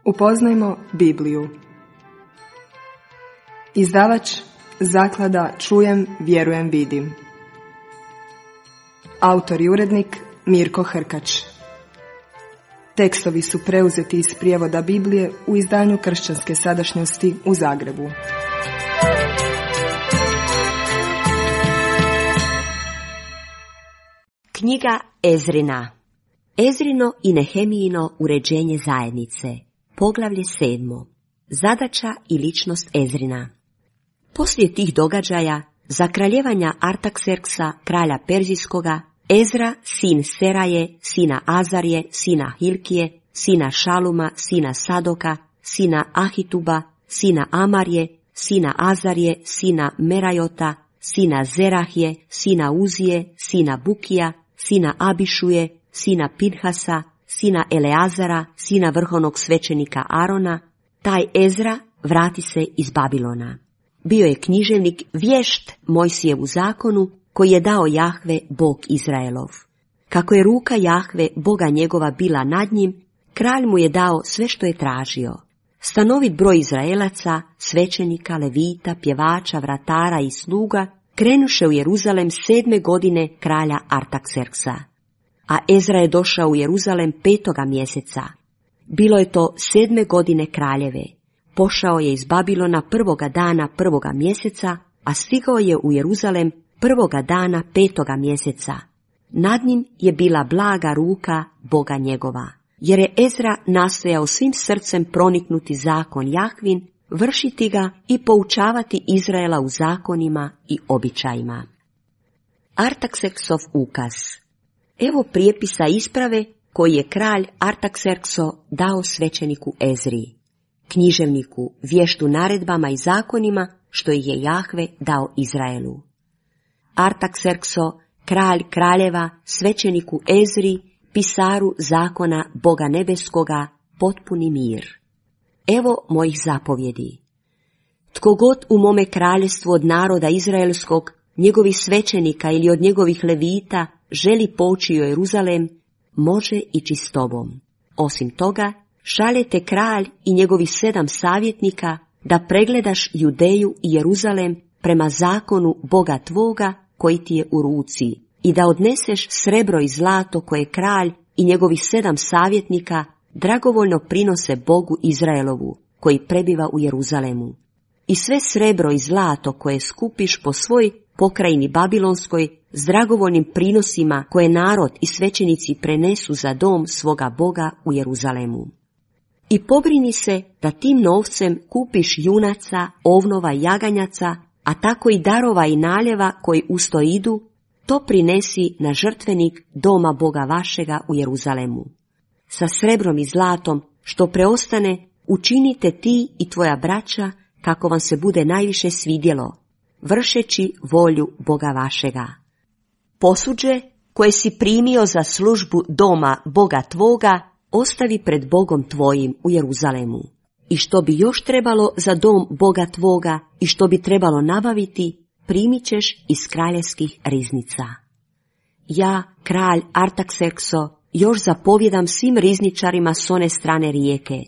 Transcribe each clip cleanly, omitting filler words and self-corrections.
Upoznajmo Bibliju. Izdavač Zaklada Čujem, vjerujem, vidim. Autor i urednik Mirko Hrkač. Tekstovi su preuzeti iz prijevoda Biblije u izdanju Kršćanske sadašnjosti u Zagrebu. Knjiga Ezrina. Ezrino i Nehemijino uređenje zajednice. Poglavlje 7. Zadaća i ličnost Ezrina. Poslije tih događaja, za kraljevanja Artakserksa, kralja Perzijskoga, Ezra, sin Seraje, sina Azarije, sina Hilkije, sina Šaluma, sina Sadoka, sina Ahituba, sina Amarije, sina Azarije, sina Merajota, sina Zerahije, sina Uzije, sina Bukija, sina Abišuje, sina Pinhasa, sina Eleazara, sina vrhovnog svećenika Arona, taj Ezra vrati se iz Babilona. Bio je književnik vješt Mojsijevu zakonu, koji je dao Jahve, Bog Izraelov. Kako je ruka Jahve, Boga njegova, bila nad njim, kralj mu je dao sve što je tražio. Stanovit broj Izraelaca, svećenika, levita, pjevača, vratara i sluga, krenuše u Jeruzalem 7. godine kralja Artakserksa. A Ezra je došao u Jeruzalem 5. mjeseca. Bilo je to 7. godine kraljeve. Pošao je iz Babilona 1. dana 1. mjeseca, a stigao je u Jeruzalem 1. dana 5. mjeseca. Nad njim je bila blaga ruka Boga njegova, jer je Ezra nastojao svim srcem proniknuti zakon Jahvin, vršiti ga i poučavati Izraela u zakonima i običajima. Artakserksov ukaz. Evo prijepisa isprave koji je kralj Artakserkso dao svećeniku Ezri, književniku, vještu naredbama i zakonima što ih je Jahve dao Izraelu. Artakserkso, kralj kraljeva, svećeniku Ezri, pisaru zakona Boga nebeskoga, potpuni mir. Evo mojih zapovjedi. Tko god u mome kraljestvu od naroda izraelskog, njegovih svećenika ili od njegovih levita, želi poći u Jeruzalem, može ići s tobom. Osim toga, šaljete kralj i njegovih 7 savjetnika da pregledaš Judeju i Jeruzalem prema zakonu Boga tvoga koji ti je u ruci i da odneseš srebro i zlato koje kralj i njegovih 7 savjetnika dragovoljno prinose Bogu Izraelovu koji prebiva u Jeruzalemu. I sve srebro i zlato koje skupiš po svoj pokrajini Babilonskoj s dragovoljnim prinosima koje narod i svećenici prenesu za dom svoga Boga u Jeruzalemu. I pobrini se da tim novcem kupiš junaca, ovnova i jaganjaca, a tako i darova i naljeva koji usto idu, to prinesi na žrtvenik doma Boga vašega u Jeruzalemu. Sa srebrom i zlatom što preostane učinite ti i tvoja braća kako vam se bude najviše svidjelo, vršeći volju Boga vašega. Posuđe koje si primio za službu doma Boga tvoga ostavi pred Bogom tvojim u Jeruzalemu. I što bi još trebalo za dom Boga tvoga i što bi trebalo nabaviti, primit ćeš iz kraljevskih riznica. Ja, kralj Artakserkso, još zapovjedam svim rizničarima s one strane rijeke.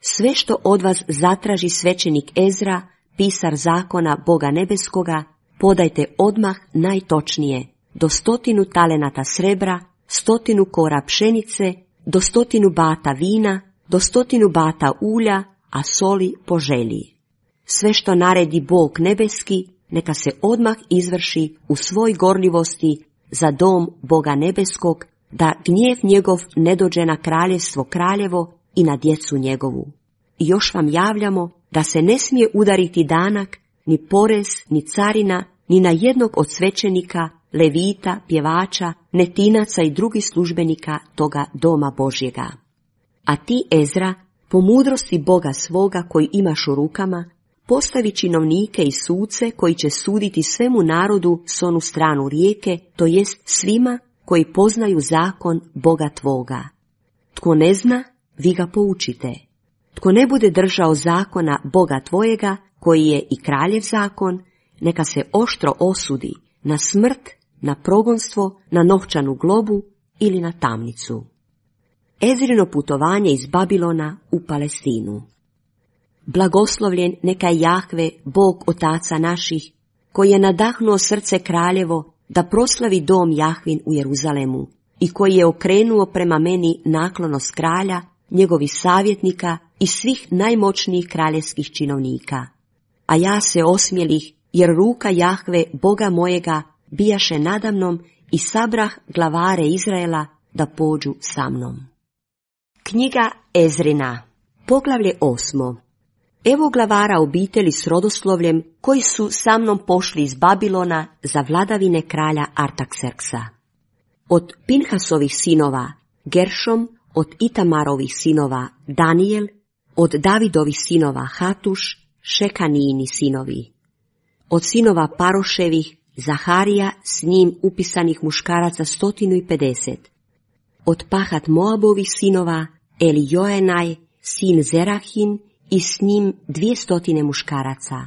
Sve što od vas zatraži svećenik Ezra, pisar zakona Boga nebeskoga, podajte odmah najtočnije, do 100 talenata srebra, 100 kora pšenice, do 100 bata vina, do 100 bata ulja, a soli po želji. Sve što naredi Bog nebeski, neka se odmah izvrši u svoj gorljivosti za dom Boga nebeskog, da gnjev njegov ne dođe na kraljevstvo kraljevo i na djecu njegovu. I još vam javljamo da se ne smije udariti danak, ni porez, ni carina, ni na jednog od svećenika, levita, pjevača, netinaca i drugih službenika toga doma Božjega. A ti, Ezra, po mudrosti Boga svoga koji imaš u rukama, postavi činovnike i suce koji će suditi svemu narodu s onu stranu rijeke, to jest svima koji poznaju zakon Boga tvoga. Tko ne zna, vi ga poučite. Tko ne bude držao zakona Boga tvojega, koji je i kraljev zakon, neka se oštro osudi na smrt, na progonstvo, na novčanu globu ili na tamnicu. Ezrino putovanje iz Babilona u Palestinu. Blagoslovljen neka je Jahve, Bog otaca naših, koji je nadahnuo srce kraljevo da proslavi dom Jahvin u Jeruzalemu i koji je okrenuo prema meni naklonost kralja, njegovih savjetnika i svih najmoćnijih kraljevskih činovnika. A ja se osmjelih, jer ruka Jahve, Boga mojega, bijaše nadamnom i sabrah glavare Izraela da pođu sa mnom. Knjiga Ezrina, poglavlje 8. Evo glavara obitelji s rodoslovljem koji su sa mnom pošli iz Babilona za vladavine kralja Artakserksa. Od Pinhasovih sinova Geršom, od Itamarovih sinova Danijel, od Davidovih sinova Hatuš, Šekanijini sinovi. Od sinova Paroševih Zaharija, s njim upisanih muškaraca 150. Od Pahat Moabovih sinova Elijoenaj, sin Zerahin, i s njim 200 muškaraca.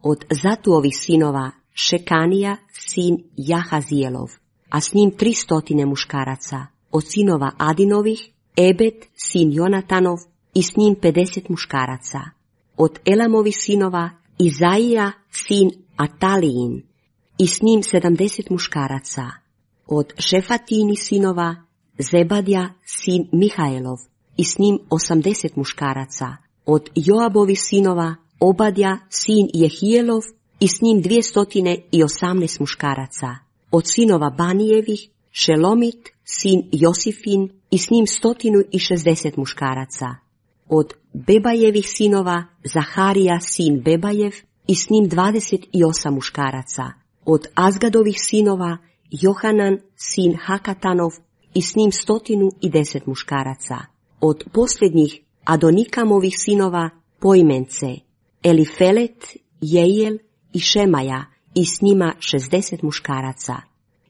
Od Zatuovih sinova Šekanija, sin Jahazijelov, a s njim 300 muškaraca. Od sinova Adinovih Ebed, sin Jonatanov, i s njim 50 muškaraca. Od Elamovih sinova Izaija, sin Atalijin, i s njim 70 muškaraca. Od Šefatini sinova Zebadja, sin Mihaelov, i s njim 80 muškaraca. Od Joabovih sinova Obadja, sin Jehijelov, i s njim 218 muškaraca. Od sinova Banijevih Šelomit, sin Josifin, i s njim 160 muškaraca. Od Bebajevih sinova Zaharija, sin Bebajev, i s njim 28 muškaraca. Od Azgadovih sinova Johanan, sin Hakatanov, i s njim 110 muškaraca. Od posljednjih Adonikamovih sinova poimence Elifelet, Jejel i Šemaja, i s njima 60 muškaraca.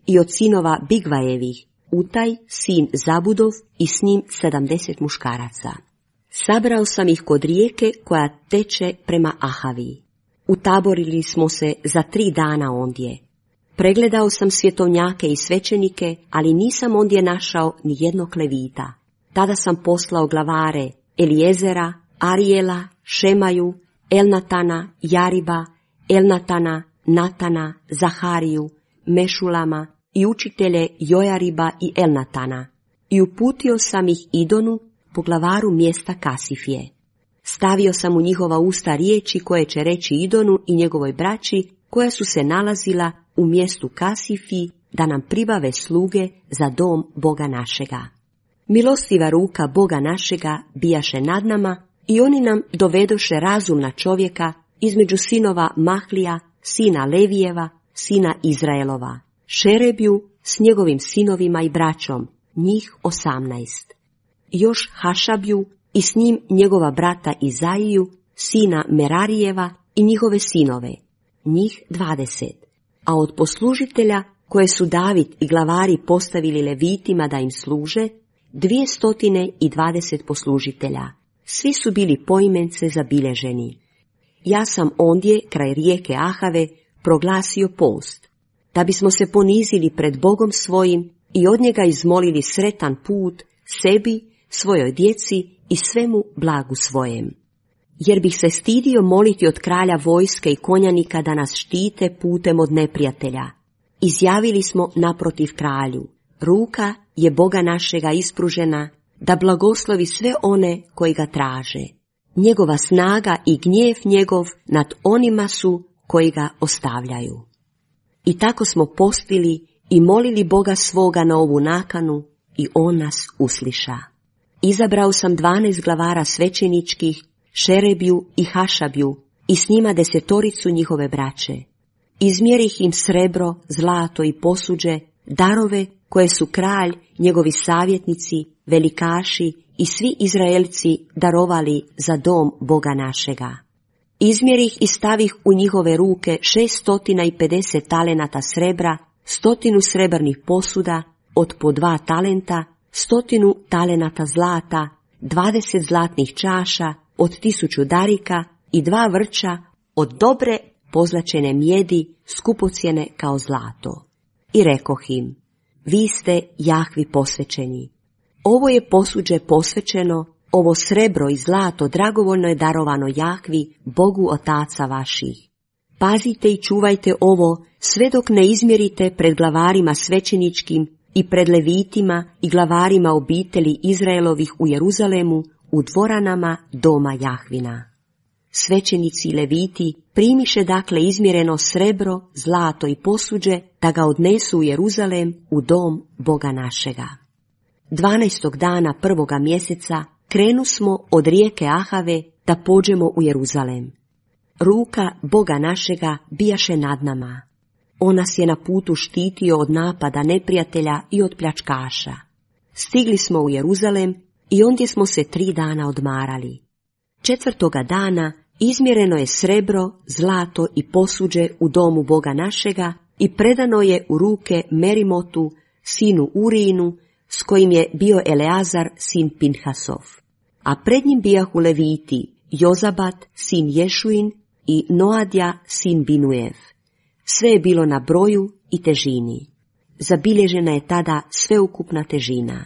I od sinova Bigvajevih Utaj, sin Zabudov, i s njim 70 muškaraca. Sabrao sam ih kod rijeke koja teče prema Ahavi. Utaborili smo se za 3 dana ondje. Pregledao sam svjetovnjake i svećenike, ali nisam ondje našao ni jednog levita. Tada sam poslao glavare Elijezera, Arijela, Šemaju, Elnatana, Jariba, Elnatana, Natana, Zahariju, Mešulama i učitelje Jojariba i Elnatana. I uputio sam ih Idonu, poglavaru mjesta Kasifije. Stavio sam u njihova usta riječi koje će reći Idonu i njegovoj braći, koja su se nalazila u mjestu Kasifiji, da nam pribave sluge za dom Boga našega. Milostiva ruka Boga našega bijaše nad nama i oni nam dovedoše razumna čovjeka između sinova Mahlija, sina Levijeva, sina Izraelova, Šerebju s njegovim sinovima i braćom, njih 18. Još Hašabju i s njim njegova brata Izaiju, sina Merarijeva i njihove sinove, njih 20. A od poslužitelja koje su David i glavari postavili levitima da im služe, 220 poslužitelja. Svi su bili poimence zabilježeni. Ja sam ondje, kraj rijeke Ahave, proglasio post, da bismo se ponizili pred Bogom svojim i od njega izmolili sretan put sebi, svojoj djeci i svemu blagu svojem. Jer bih se stidio moliti od kralja vojske i konjanika da nas štite putem od neprijatelja. Izjavili smo naprotiv kralju, ruka je Boga našega ispružena, da blagoslovi sve one koji ga traže. Njegova snaga i gnjev njegov nad onima su koji ga ostavljaju. I tako smo postili i molili Boga svoga na ovu nakanu i on nas usliša. Izabrao sam 12 glavara svećeničkih, Šerebju i Hašabju, i s njima 10 njihove braće. Izmjerih im srebro, zlato i posuđe, darove koje su kralj, njegovi savjetnici, velikaši i svi Izraelci darovali za dom Boga našega. Izmjerih i stavih u njihove ruke 650 talenata srebra, 100 srebrnih posuda, od po 2 talenta, 100 talenata zlata, 20 zlatnih čaša, od 1000 darika i 2 vrča od dobre pozlačene mjedi, skupocjene kao zlato. I rekoh im, vi ste Jahvi posvećeni. ovo je posuđe posvećeno, ovo srebro i zlato dragovoljno je darovano Jahvi, Bogu otaca vaših. Pazite i čuvajte ovo, sve dok ne izmjerite pred glavarima svećeničkim i pred levitima i glavarima obitelji Izraelovih u Jeruzalemu, u dvoranama doma Jahvina. Svećenici i leviti primiše dakle izmjereno srebro, zlato i posuđe, da ga odnesu u Jeruzalem, u dom Boga našega. 12. dana 1. mjeseca krenu smo od rijeke Ahave da pođemo u Jeruzalem. Ruka Boga našega bijaše nad nama. On nas je na putu štitio od napada neprijatelja i od pljačkaša. Stigli smo u Jeruzalem i ondje smo se 3 dana odmarali. 4. dana izmjereno je srebro, zlato i posuđe u domu Boga našega i predano je u ruke Merimotu, sinu Urijinu, s kojim je bio Eleazar, sin Pinhasov. A pred njim bijahu leviti, Jozabat, sin Ješuin i Noadja, sin Binujev. Sve je bilo na broju i težini. Zabilježena je tada sveukupna težina.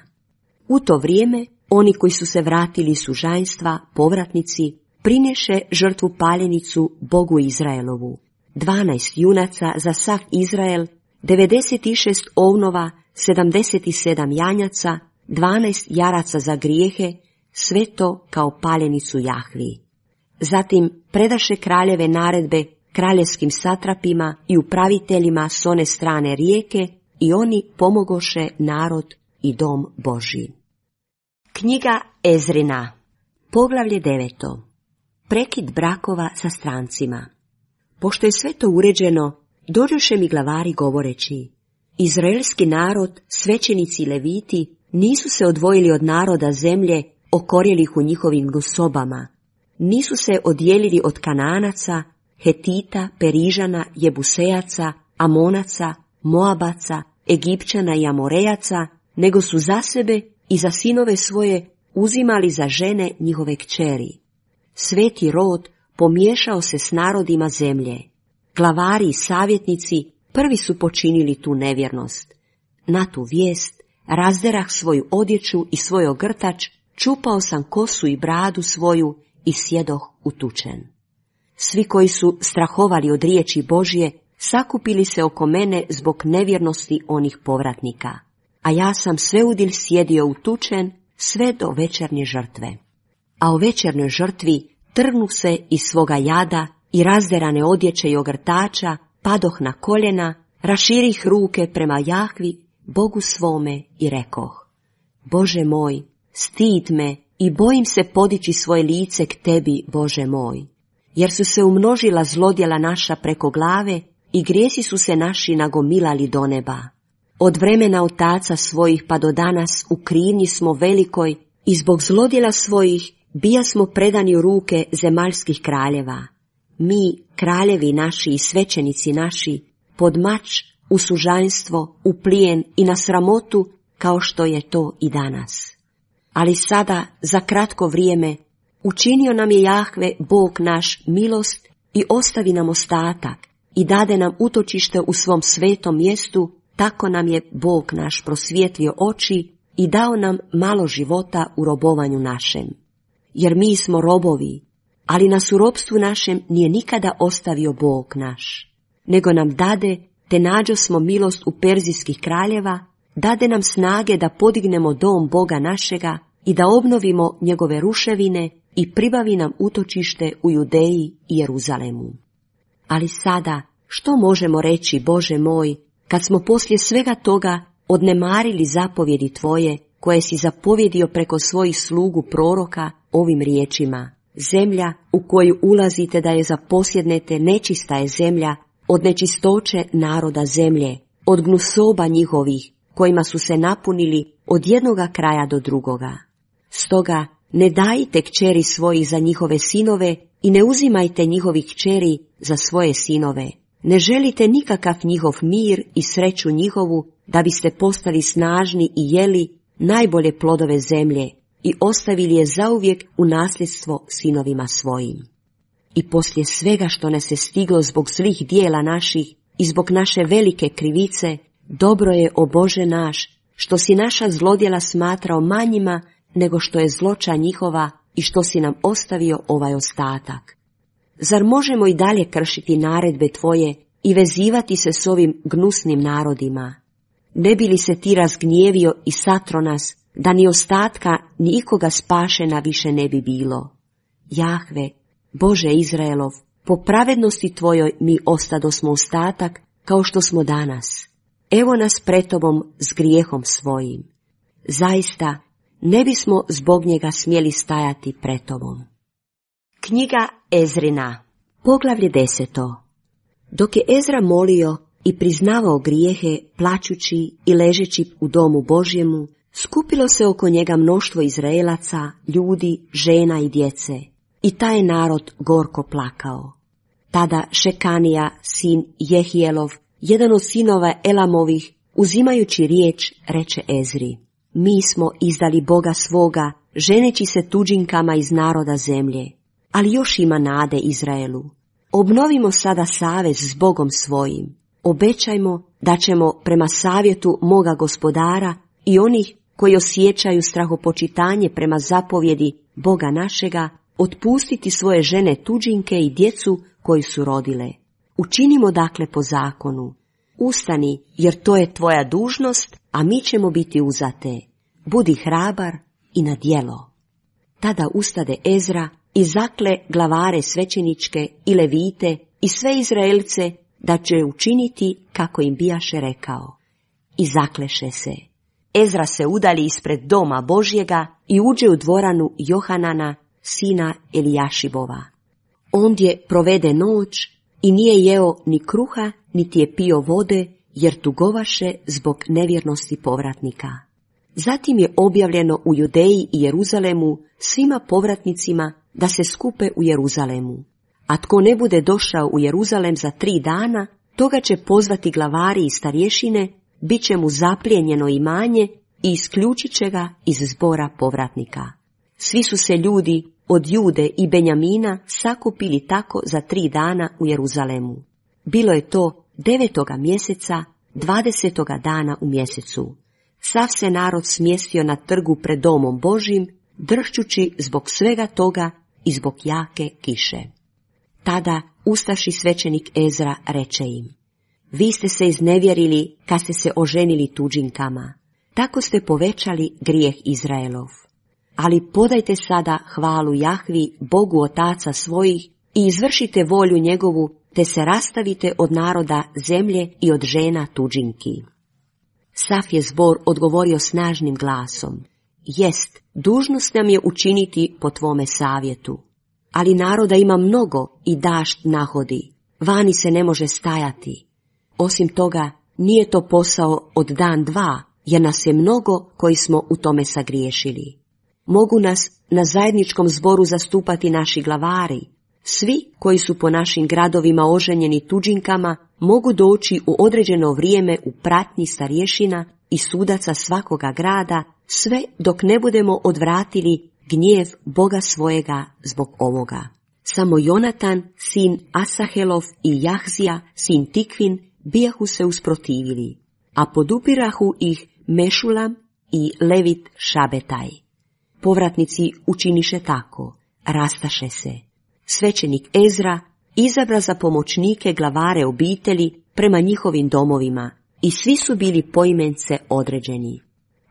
U to vrijeme oni koji su se vratili iz sužanjstva, povratnici, prinješe žrtvu paljenicu Bogu Izraelovu. 12 junaca za sav Izrael, 96 ovnova, 77 janjaca, 12 jaraca za grijehe, sve to kao paljenicu Jahvi. Zatim predaše kraljeve naredbe kraljevskim satrapima i upraviteljima s one strane rijeke i oni pomogoše narod i dom Božji. Knjiga Ezrina, poglavlje 9. Prekid brakova sa strancima. Pošto je sve to uređeno, dođoše mi glavari govoreći: Izraelski narod, svećenici i leviti, nisu se odvojili od naroda zemlje, okorjelih u njihovim gnusobama. Nisu se odjelili od Kanaanaca, Hetita, Perižana, Jebusejaca, Amonaca, Moabaca, Egipćana i Amorejaca, nego su za sebe i za sinove svoje uzimali za žene njihove kćeri. Sveti rod pomiješao se s narodima zemlje. Glavari i savjetnici prvi su počinili tu nevjernost. Na tu vijest razderah svoju odjeću i svoj ogrtač, čupao sam kosu i bradu svoju i sjedoh utučen. Svi koji su strahovali od riječi Božje sakupili se oko mene zbog nevjernosti onih povratnika, a ja sam sveudilj sjedio utučen sve do večernje žrtve. A o večernoj žrtvi trgnuh se iz svoga jada i razderane odjeće i ogrtača, padoh na koljena, raširih ruke prema Jahvi, Bogu svome i rekoh: Bože moj, stid me i bojim se podići svoje lice k tebi, Bože moj, jer su se umnožila zlodjela naša preko glave i grijesi su se naši nagomilali do neba. Od vremena otaca svojih pa do danas u krivnji smo velikoj i zbog zlodjela svojih bija smo predani u ruke zemaljskih kraljeva. Mi, kraljevi naši i svećenici naši, pod mač, u sužanjstvo, u plijen i na sramotu, kao što je to i danas. Ali sada, za kratko vrijeme, učinio nam je Jahve, Bog naš, milost i ostavi nam ostatak i dade nam utočište u svom svetom mjestu, tako nam je Bog naš prosvijetlio oči i dao nam malo života u robovanju našem. Jer mi smo robovi, ali nas u robstvu našem nije nikada ostavio Bog naš, nego nam dade, te nađo smo milost u perzijskih kraljeva, dade nam snage da podignemo dom Boga našega i da obnovimo njegove ruševine i pribavi nam utočište u Judeji i Jeruzalemu. Ali sada, što možemo reći, Bože moj, kad smo poslije svega toga odnemarili zapovjedi Tvoje, koje si zapovjedio preko svojih slugu proroka ovim riječima: Zemlja u koju ulazite da je zaposjednete nečista je zemlja, od nečistoće naroda zemlje, od gnusoba njihovih, kojima su se napunili od jednoga kraja do drugoga. Stoga ne dajte kćeri svojih za njihove sinove i ne uzimajte njihovih kćeri za svoje sinove. Ne želite nikakav njihov mir i sreću njihovu, da biste postali snažni i jeli najbolje plodove zemlje i ostavili je zauvijek u nasljedstvo sinovima svojim. I poslije svega što nas je stiglo zbog zlih dijela naših i zbog naše velike krivice, dobro je, o Bože naš, što si naša zlodjela smatrao manjima nego što je zloća njihova i što si nam ostavio ovaj ostatak. Zar možemo i dalje kršiti naredbe tvoje i vezivati se s ovim gnusnim narodima? Ne bi li se ti razgnjevio i satro nas, da ni ostatka ni ikoga spašena više ne bi bilo? Jahve, Bože Izraelov, po pravednosti tvojoj mi ostadosmo ostatak kao što smo danas. Evo nas pred tobom s grijehom svojim. Zaista, ne bismo zbog njega smjeli stajati pred tobom. Knjiga Ezrina, poglavlje 10. Dok je Ezra molio i priznavao grijehe, plačući i ležeći u domu Božjemu, skupilo se oko njega mnoštvo Izraelaca, ljudi, žena i djece, i taj je narod gorko plakao. Tada Šekanija, sin Jehijelov, jedan od sinova Elamovih, uzimajući riječ, reče Ezri: mi smo izdali Boga svoga, ženeći se tuđinkama iz naroda zemlje, ali još ima nade Izraelu. Obnovimo sada savez s Bogom svojim. Obećajmo da ćemo prema savjetu moga gospodara i onih koji osjećaju strahopočitanje prema zapovjedi Boga našega, otpustiti svoje žene tuđinke i djecu koji su rodile. Učinimo dakle po zakonu. Ustani, jer to je tvoja dužnost, a mi ćemo biti uzate. Budi hrabar i na djelo. Tada ustade Ezra i zakle glavare svećeničke i levite i sve Izraelce da će učiniti kako im bijaše rekao. I zakleše se. Ezra se udalji ispred doma Božjega i uđe u dvoranu Johanana, sina Elijašibova. Ondje provede noć i nije jeo ni kruha, niti je pio vode, jer tugovaše zbog nevjernosti povratnika. Zatim je objavljeno u Judeji i Jeruzalemu svima povratnicima da se skupe u Jeruzalemu. A tko ne bude došao u Jeruzalem za 3 dana, toga će pozvati glavari i starješine, bit će mu zaplijenjeno imanje i isključit će ga iz zbora povratnika. Svi su se ljudi od Jude i Benjamina sakupili tako za 3 dana u Jeruzalemu. Bilo je to 9. mjeseca, 20. dana u mjesecu. Sav se narod smjestio na trgu pred domom Božjim, dršćući zbog svega toga i zbog jake kiše. Tada ustaši svećenik Ezra reče im: vi ste se iznevjerili kad ste se oženili tuđinkama, tako ste povećali grijeh Izraelov. Ali podajte sada hvalu Jahvi, Bogu otaca svojih, i izvršite volju njegovu, te se rastavite od naroda zemlje i od žena tuđinki. Sav je zbor odgovorio snažnim glasom: jest, dužnost nam je učiniti po tvome savjetu. Ali naroda ima mnogo i dašt nahodi, vani se ne može stajati. Osim toga, nije to posao od dan 2, jer nas je mnogo koji smo u tome sagriješili. Mogu nas na zajedničkom zboru zastupati naši glavari. Svi koji su po našim gradovima oženjeni tuđinkama mogu doći u određeno vrijeme u pratnji starješina i sudaca svakoga grada, sve dok ne budemo odvratili gnjev Boga svojega zbog ovoga. Samo Jonatan, sin Asahelov, i Jahzija, sin Tikvin, bijahu se usprotivili, a podupirahu ih Mešulam i Levit Šabetaj. Povratnici učiniše tako, rastaše se. Svećenik Ezra izabra za pomoćnike glavare obitelji prema njihovim domovima i svi su bili poimence određeni.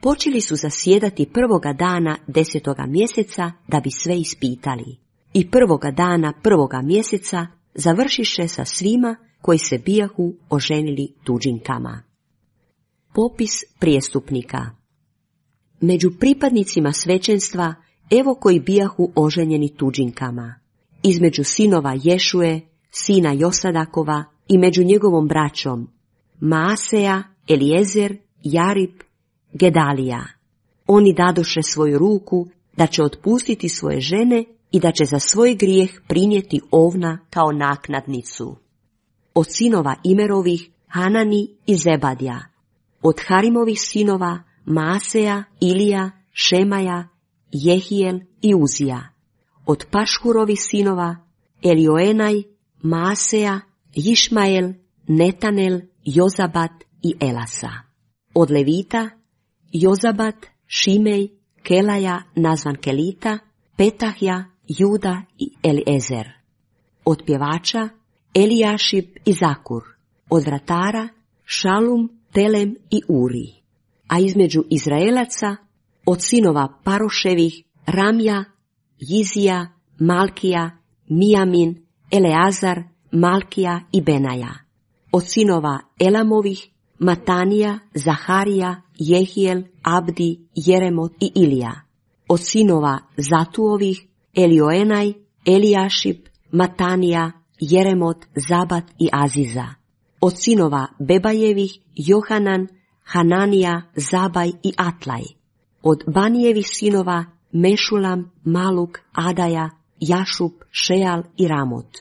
Počeli su zasjedati 1. dana 10. mjeseca da bi sve ispitali. I 1. dana 1. mjeseca završiše sa svima koji se bijahu oženili tuđinkama. Popis prijestupnika. Među pripadnicima svećenstva evo koji bijahu oženjeni tuđinkama. Između sinova Ješue, sina Josadakova, i među njegovom braćom Maaseja, Eliezer, Jarib, Gedalija. Oni dadoše svoju ruku da će otpustiti svoje žene i da će za svoj grijeh prinijeti ovna kao naknadnicu. Od sinova Imerovih Hanani i Zebadija. Od Harimovih sinova Maaseja, Ilija, Šemaja, Jehijel i Uzija. Od Pašhurovih sinova Elioenaj, Maaseja, Išmael, Netanel, Jozabat i Elasa. Od Levita Jozabat, Šimej, Kelaja, nazvan Kelita, Petahja, Juda i Eliezer. Od pjevača Elijašib i Zakur. Od vratara Šalum, Telem i Uri. A između Izraelaca od sinova Paroševih Ramja, Jizija, Malkija, Mijamin, Eleazar, Malkija i Benaja. Od sinova Elamovih Matanija, Zaharija, Jehijel, Abdi, Jeremot i Ilija. Od sinova Zatuovih Elioenaj, Elijašib, Matanija, Jeremot, Zabat i Aziza. Od sinova Bebajevih Johanan, Hananija, Zabaj i Atlaj. Od Banijevih sinova Mešulam, Maluk, Adaja, Jašub, Šeal i Ramot.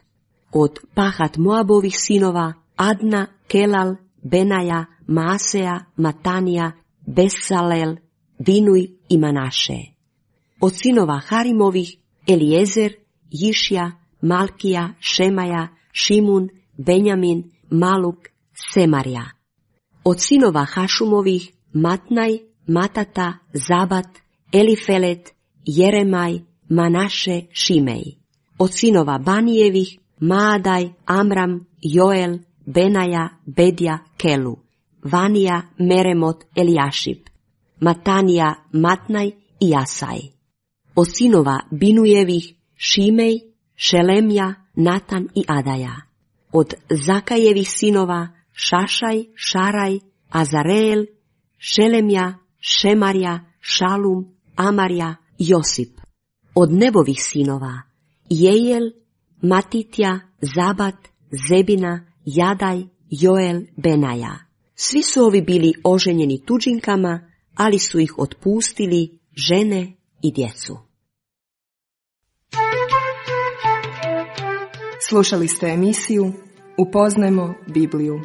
Od Pahat Moabovih sinova Adna, Kelal, Benaja, Maaseja, Matanija, Besalel, Binuj i Manaše. Od sinova Harimovih Eliezer, Jišja, Malkija, Šemaja, Šimun, Benjamin, Maluk, Semarja. Od sinova Hašumovih Matnaj, Matata, Zabat, Elifelet, Jeremaj, Manaše, Šimej. Od sinova Banijevih Maadaj, Amram, Joel, Benaja, Bedja, Kelu, Vanija, Meremot, Elijašib, Matanija, Matnaj i Jasaj. Od sinova Binujevih Šimej, Šelemja, Natan i Adaja. Od Zakajevih sinova Šašaj, Šaraj, Azareel, Šelemja, Šemarja, Šalum, Amarja, Josip. Od Nebovih sinova Jejel, Matitja, Zabat, Zebina, Jadaj, Joel, Benaja. Svi su ovi bili oženjeni tuđinkama, ali su ih otpustili žene i djecu. Slušali ste emisiju Upoznajmo Bibliju.